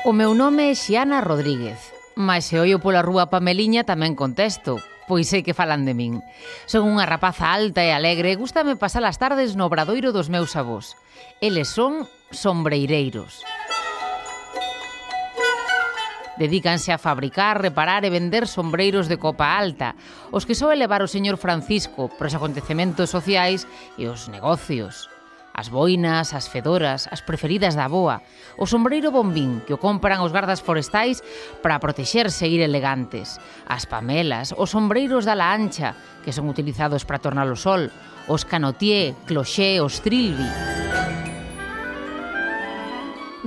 O meu nome é Xiana Rodríguez, mas se ollo pola rúa Pameliña tamén contesto, pois sei que falan de min. Son unha rapaza alta e alegre e gústame pasar as tardes no obradoiro dos meus avós. Eles son sombreireiros. Dedícanse a fabricar, reparar e vender sombreiros de copa alta, os que soe levar o señor Francisco para os acontecementos sociais e os negocios. As boinas, as fedoras, as preferidas da avoa, o sombreiro bombín que o compran os gardas forestais para protexerse e ir elegantes, as pamelas, os sombreiros da la ancha, que son utilizados para tornar o sol, os canotier, cloché, os trilby.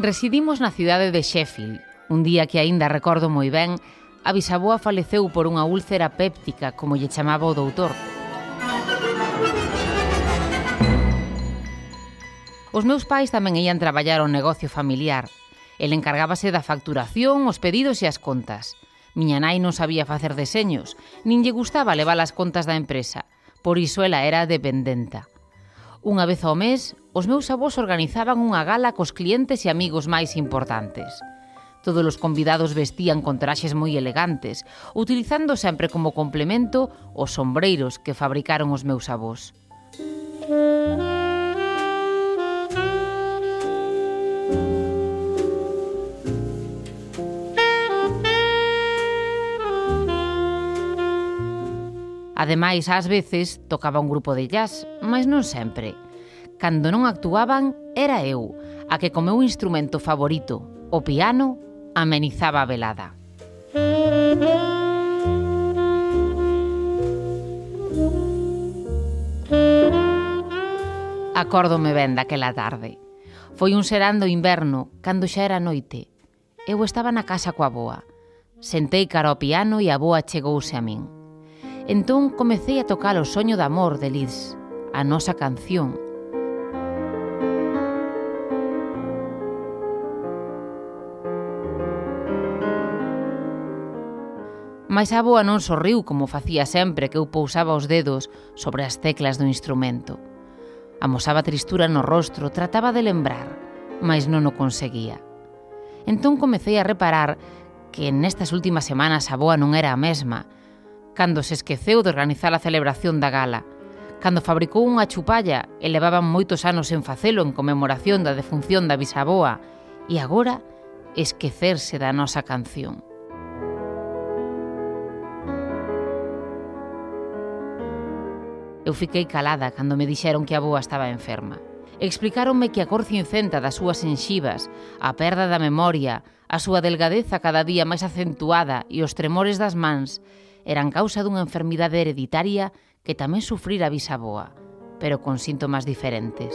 Residimos na cidade de Sheffield. Un día que aínda recordo moi ben, a bisaboa faleceu por unha úlcera péptica, como lle chamaba o doutor. Os meus pais tamén ían traballar ao negocio familiar. El encargábase da facturación, os pedidos e as contas. Miña nai non sabía facer deseños, nin lle gustaba levar as contas da empresa, por iso ela era dependenta. Unha vez ao mes, os meus avós organizaban unha gala cos clientes e amigos máis importantes. Todos os convidados vestían con traxes moi elegantes, utilizando sempre como complemento os sombreiros que fabricaron os meus avós. Ademais, ás veces, tocaba un grupo de jazz, mas non sempre. Cando non actuaban, era eu, a que co meu instrumento favorito, o piano, amenizaba a velada. Acórdome ben daquela tarde. Foi un serán do inverno, cando xa era noite. Eu estaba na casa coa avoa. Sentei cara ao piano e a avoa chegouse a min. Entón comecei a tocar o soño de amor de Liz, a nosa canción. Mais a avoa non sorriu como facía sempre que eu pousaba os dedos sobre as teclas do instrumento. Amosaba tristura no rostro, trataba de lembrar, mas non o conseguía. Entón comecei a reparar que nestas últimas semanas a avoa non era a mesma, cando se esqueceu de organizar a celebración da gala, cando fabricou unha chupalla e levaban moitos anos en facelo en conmemoración da defunción da bisaboa, e agora esquecerse da nosa canción. Eu fiquei calada cando me dixeron que a avoa estaba enferma. Explicáronme que a cor cincenta das súas enxivas, a perda da memoria, a súa delgadeza cada día máis acentuada e os tremores das mans eran causa dunha enfermidade hereditaria que tamén sufrira a bisaboa, pero con síntomas diferentes.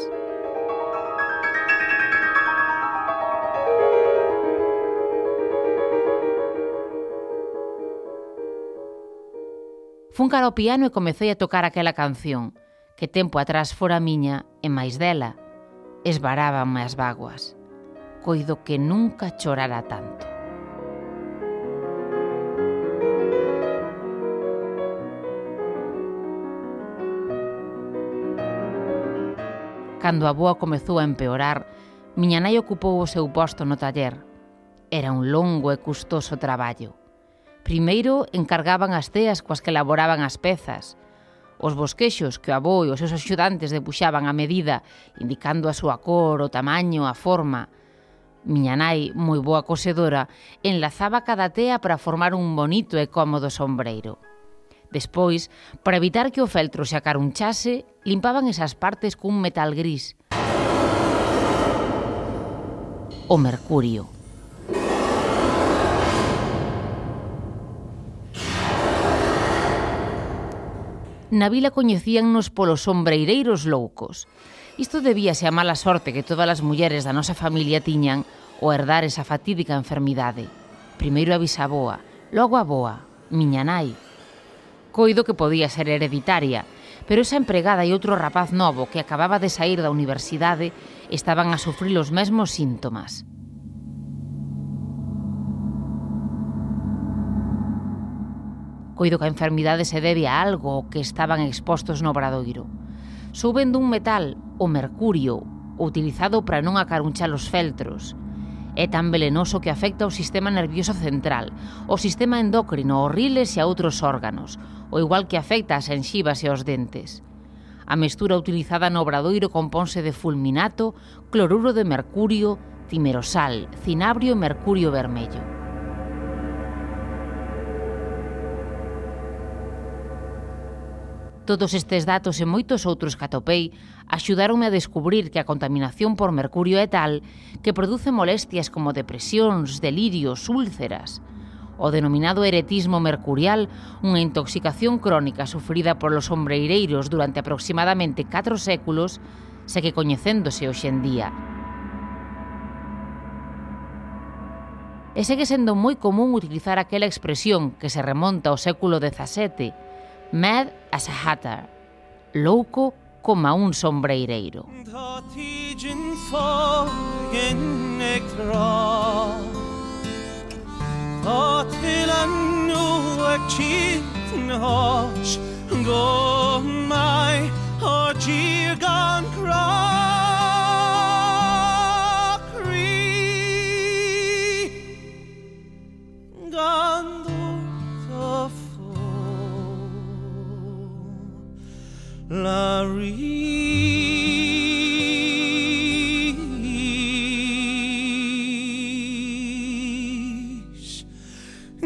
Fun cara ao piano e comecei a tocar aquela canción, que tempo atrás fora miña e máis dela, esvarábanme as bágoas. Coido que nunca chorara tanto. Cando a avoa comezou a empeorar, miña nai ocupou o seu posto no taller. Era un longo e custoso traballo. Primeiro encargaban as teas coas que elaboraban as pezas, os bosquexos que o avó e os seus axudantes debuxaban a medida, indicando a súa cor, o tamaño, a forma. Miña nai, moi boa cosedora, enlazaba cada tea para formar un bonito e cómodo sombreiro. Despois, para evitar que o feltro se acarunchase, limpaban esas partes cun metal gris. O mercurio. Na vila coñecíannos polos sombreireiros loucos. Isto debíase a mala sorte que todas as mulleres da nosa familia tiñan ao herdar esa fatídica enfermidade. Primeiro a bisaboa, logo a avoa, miña nai. Coido que podía ser hereditaria, pero esa empregada e outro rapaz novo que acababa de saír da universidade estaban a sufrir os mesmos síntomas. Coido que a enfermidade se debe a algo ao que estaban expostos no obradoiro. Souben dun metal, o mercurio, utilizado para non acarunchar os feltros. É tan velenoso que afecta o sistema nervioso central, o sistema endócrino, os riles e a outros órganos, o igual que afecta as xenxivas e os dentes. A mestura utilizada no obradoiro componse de fulminato, cloruro de mercurio, timerosal, cinabrio e mercurio vermello. Todos estes datos e moitos outros que atopei axudáronme a descubrir que a contaminación por mercurio é tal que produce molestias como depresións, delirios, úlceras. O denominado eretismo mercurial, unha intoxicación crónica sufrida polos ombreireiros durante aproximadamente 4 séculos, segue coñecéndose hoxe en día. E segue sendo moi común utilizar aquela expresión que se remonta ao século XVII, mad as a hatter, louco como un sombreireiro. La ris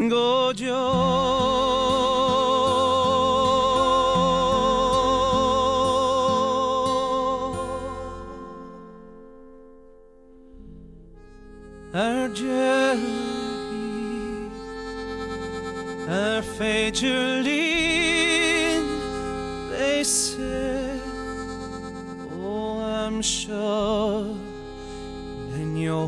gojo Argelgi Fejerlin they said, oh, I'm sure in your